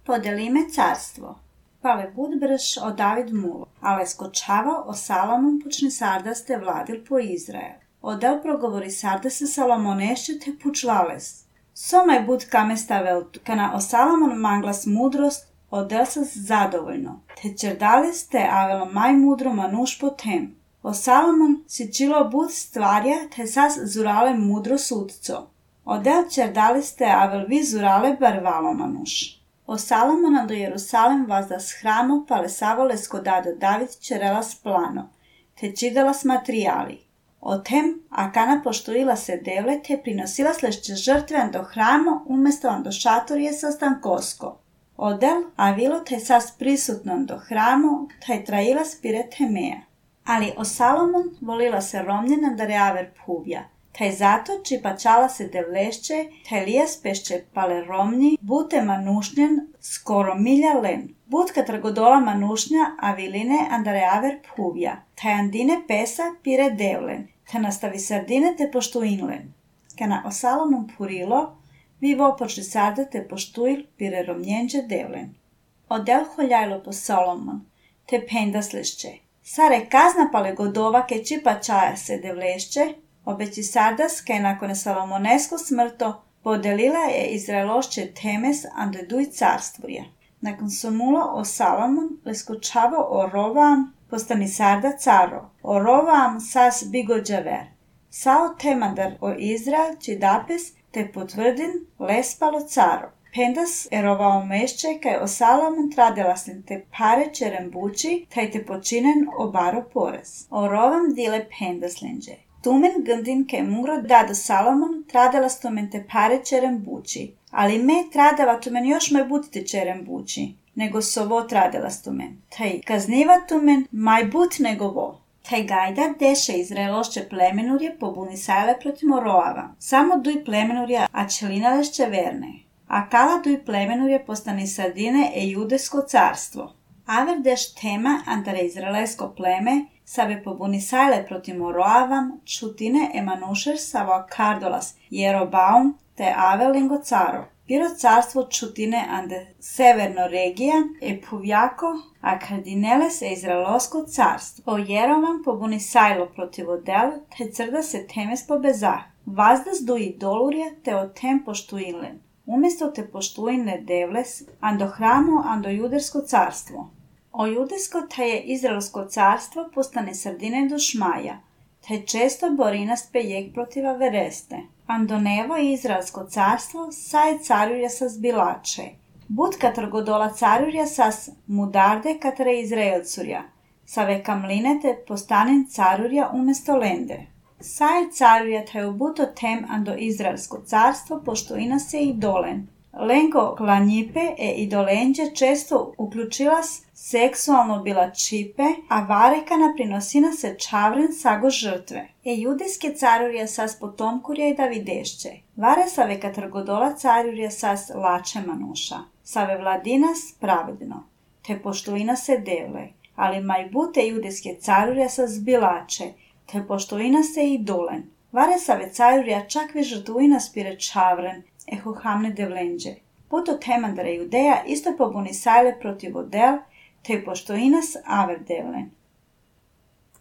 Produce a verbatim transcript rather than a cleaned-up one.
Podelime carstvo. Pale bud brž o David mulo, ale skočava o Salomon počne sardaste vladil po Izrael. Odel progovori sardaste Salomonešće te pučlales. Somaj bud kame staveltu, kana o Salomon manglas mudrost, odel sas zadovoljno, te čerdales te avelo maj mudro manuš po tem. O Salomon si čilo bud stvarja, te sas zurale mudro sudco. Odel čerdales te avel vi zurale barvalo manuš. O Salomona do Jerusalem vazdas hramo palesavole skodado David čerelas plano, te čidalas materijali. O tem, akana poštuila se devle, te prinosila slešće žrtven do hramo, umesto do šatorije sa stankosko. Odel, a vilo te sas prisutnon do hramo, taj trajila spire temeja. Ali o Salomon volila se romnjena da reaver puvja, taj zato čipačala se devlešće, taj lijas pešće pale romnji, bute manušnjen skoro milja len. Butka trgodola manušnja, a viline andareaver puvja, taj andine pesa pire devlen, te nastavi sardine te poštuinlen. Kana o Salomon purilo, vivo počli sarda te poštuil pire romnjenđe devlen. Odel holjajlo po Salomon, te pendaslešće. Sare kazna pale godova ke čipačaja se devlešće, obeći sardas ke nakon Salomonesko smrto podelila je Izraelošće temes andeduj carstvorje. Nakon somulo o Salomon leskočavo o Rovam postani sarda caro, o Rovam sas bigođaver. Sao temandar o Izrael čidapes te potvrdin lespalo caro. Pendas erovao mešće kaj o Salomon tradelaslim te pare čerembuči, taj te počinen obaro porez. O Rovam dile pendaslinđe. Tumen gndin ke mungro dado Salomon tradelas tumen te pare čerembuči, ali me tradava tumen još maj budite čerembuči, nego sovo tradelas tumen. Taj kazniva tumen maj but nego vo. Taj gajda deše Izraelošće plemenurje pobuni sajle protiv Moroava. Samo duj plemenurje, a čelinalešće verne. A kala duj plemenurje postani sardine e judesko carstvo. Aver deš tema antare izraelsko pleme, sabe pobuni sajle protiv Moroavam, čutine emanušer savo kardolas Jerobaum te avelingo caro. Piro carstvo čutine ande severno regija e puvjako, a kardineles e izraelsko carstvo. O Jerovam pobuni sajlo protiv odel, te crda se temes pobezah. Vazdas duji dolurje te o tem poštuinlen. Umjesto te poštujne devles, ando hramo, ando judersko carstvo. O judesko te je izraelsko carstvo postane sardine do šmaja, te često borinas pejek protiva vereste. Ando nevo izraelsko carstvo saje carurja sas bilače. Budka trgodola carurja sas mudarde katre izraelcurja, save kamline te postanen carurja umjesto lende. Saje carurja te ubuto tem ando izraelsko carstvo poštuina se i dolen. Lengo klanjipe e idolenđe često uključilas seksualno bila čipe, a varekana prinosina se čavren sago žrtve. E judijske carurje sas potomkurja i davidešće. Vare save katrgodola carurje sas lače manuša. Save vladinas pravedno. Te poštuina se devle. Ali majbute judijske carurje sas bilače. Te poštuina se i dolen. Vare save carurja čak vi žrtuina spire čavren. Eho hamne devlenđe. Puto temandare Judeja isto pobuni sajle protiv odel, te poštoinas aver devlen.